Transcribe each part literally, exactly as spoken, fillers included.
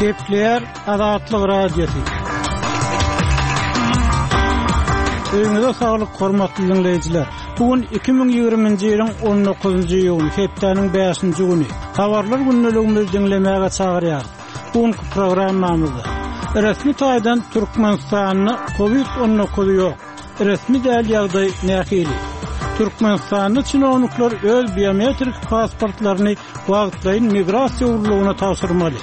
Gepleýär Azatlyk Radiosy. Öýüňize saglyk, hormatly diňleýjiler. Bu gün iki müň ýigriminji ýylyň on dokuzynjy iýuny, hepdäniň bäşinji güni. Habarlar gündeligimizi diňlemäge çagyrýarys. Bu günki programmamyzda resmi taýdan Türkmenistanda kowid on dokuz ýok. Resmi däl ýagdaý nähili? Türkmenistanda çinownikler öz biometrik pasportlaryny wagtlaýyn migrasiýa gullugyna tabşyrmaly.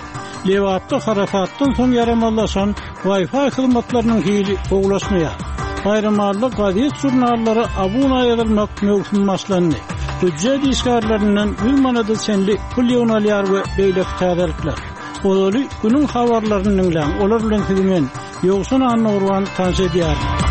Lebapda harasatdan soň ýaramazlaşan Wi-Fi hyzmatlarynyň hili gowulaşmaýar. Baýramalla gazet-žurnallara abuna ýazylmak möwsümi başlandy. Býujet işgärlerinden ýüz manada çenli pul ýygnalýar we beýleki täzelikler. Ozaly günüň habarlaryny diňläň, olar bilen sizi men, Ýowşan Annagurban tanyş edýärin.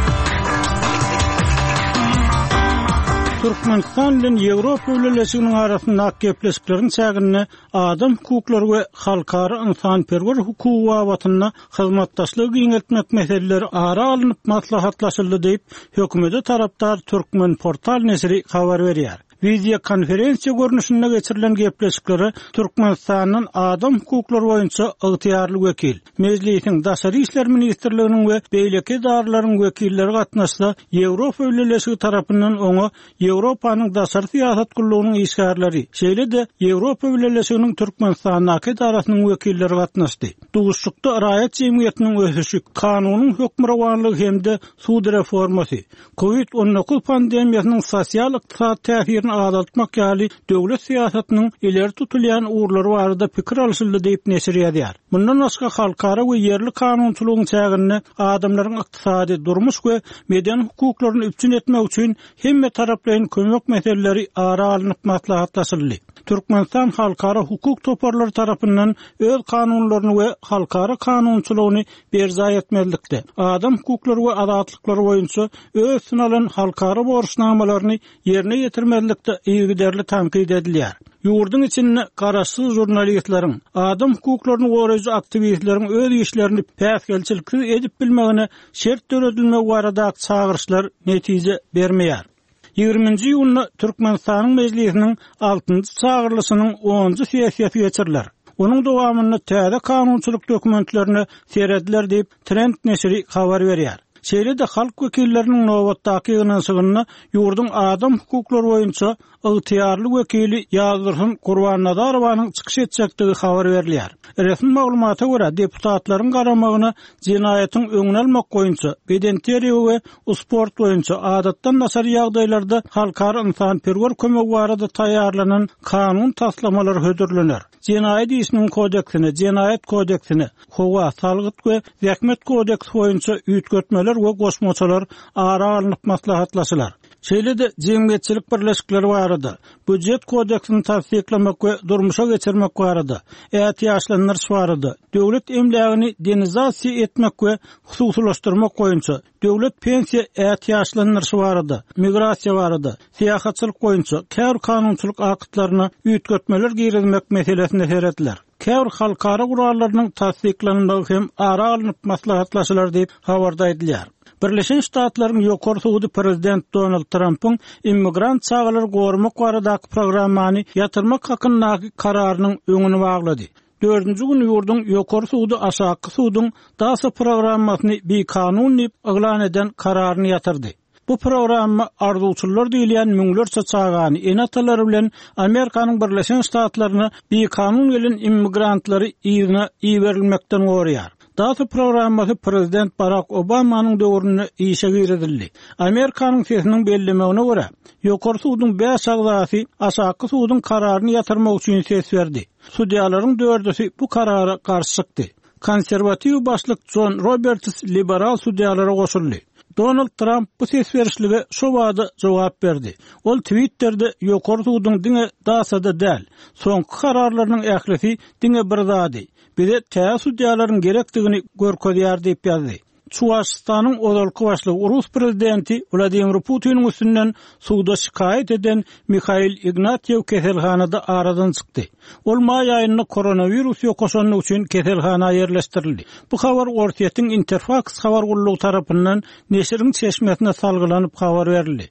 Türkmenistan bilen Ýewropa Bileleşiginiň arasyndaky gepleşikleriň çäginde adam hukuklary we halkara ynsanperwer hukugy babatynda hyzmatdaşlygy giňeltmek meseleleri ara alnyp maslahatlaşyldy diýip, hökümete tarapdar Türkmenportal neşiri habar berýär. Wideokonferensiýa görnüşinde geçirilen gepleşiklere Türkmenistandan adam hukuklary boýunça ygtyýarly wekil, Mejlisiň Daşary işler ministrliginiň we beýleki edaralaryň wekilleri gatnaşsa, Ýewropa Bileleşigi tarapyndan oňa Ýewropanyň Daşary syýasat gullugynyň işgärleri, şeýle-de Ýewropa Bileleşiginiň Türkmenistandaky edarasynyň wekilleri gatnaşdy. Duşuşykda raýat jemgyýetiniň ösüşi, kanunyň hökmürowanlygy hem-de sud reformasy, kowid on dokuz pandemiýasynyň sosial-ykdysady täsirini azaltmak ýaly döwlet syýasatynyň ileri tutulýan ugurlary barada pikir alşyldy diýip neşir ýazýar. Mundan başga halkara we ýerli kanunçylygyň çäginde adamlaryň ykdysady, durmuş we medeni hukuklaryny üpjün etmek üçin hemme taraplaýyn kömek meseleleri ara alnyp maslahatlaşyldy. Türkmenistan halkara hukuk toparlary tarapyndan öz kanunlaryny we halkara kanunçylygyny berjaý etmelilikde, adam hukuklary we azatlyklary boýunça öz üstüne alan halkara borçnamalaryny ýerine ýetirmelilikde yzygiderli tankyt edilýär. Ýurduň içinde garaşsyz žurnalistleriň, adam hukuklaryny goraýjy aktiwistleriň öz işlerini päsgelçiliksiz edip bilmegine şert döredilmegi baradaky çagyryşlar netije bermeýär. Ýigriminji iýunda Türkmenistanyň Mejlisiniň altynjy çagyrylyşynyň onunjy sessiýasy geçiriler. Onuň dowamynda täze kanunçylyk dokumentlerine serediler diýip Trend neşiri habar berýär. Şeýle-de halk wekilleriniň nobatdaky ýygnanyşygynda ýurduň adam hukuklary boýunça ygtyýarly wekili Ýazdursun Gurbannazarowanyň çykyş etjekdigi habar berilýär. Resmi maglumata görä, deputatlaryň garamagyna jenaýatyň öňüni almak boýunça, bedenterbiýe we sport boýunça adatdan daşary ýagdaýlarda halkara ynsanperwer kömegi barada taýýarlanan kanun taslamalary hödürlener. Jenaýat işiniň kodeksine, jenaýat kodeksine, howa, salgyt we zähmet kodeksi boýunça üýtgetmeler we goşmaçalar ara alnyp maslahatlaşylar. Şeýle-de jemgyýetçilik birleşikleri barada, býujet kodeksini tassyklamak we durmuşa geçirmek barada, ätiýaçlandyryş barada, döwlet emlägini denizasiýa etmek we hususylaşdyrmak boýunça, döwlet pensiýa ätiýaçlandyryşy barada, migrasiýa barada, syýahatçylyk boýunça käbir kanunçylyk aktlaryna üýtgetmeler girizmek meselesine serediler. Käbir halkara gurallarynyň tassyklanmagy hem ara alnyp maslahatlaşylar diýip habarda aýdylýar. Birleşen Ştatlaryň ýokary sudy prezident Donald Trumpyň immigrant çagalary goramak baradaky programmany ýatyrmak hakyndaky kararynyň öňüni baglady. Dördünji gün ýurduň ýokary sudy aşaky suduň DASA programmasyny bikanun diýip yglan eden kararyny ýatyrdy. Bu programma arzuwçylar diýilýän müňlerçe çagany ene-atalary bilen Amerikanyň Birleşen Ştatlaryna bikanun gelen immigrantlary yzyna iberilmekden goraýar. DASA programmasy prezident Barack Obamanyň döwründe işe girizildi. Amerikanyň sesiniň bellemegine görä, ýokary suduň bäş agzasy aşaky suduň kararyny ýatyrmak üçin ses berdi. Sudýalaryň dördüsi bu karara garşy çykdy. Konserwatiw başlyk John Roberts liberal sudýalara goşuldy. Donald Trump bu ses berişlige şo bada jogap berdi. Ol Twitter'de ýokary suduň diňe DASA-da däl, soňky kararlarynyň ählisi diňe bir zady, bize täze sudýalaryň gerekdigini görkezýär diýip ýazdy. Çuwaşystanyň ozalky başlygy Rus prezidenti Wladimir Putiniň üstünden suda şikaýat eden Mihail Ignatýew keselhanada aradan çykdy. Ol maý aýynda koronawirus ýokaşanlygy üçin keselhana ýerleşdirildi. Bu habar Orsýetiň Interfax habar gullugy tarapyndan neşiriň çeşmesine salgylanyp habar berildi.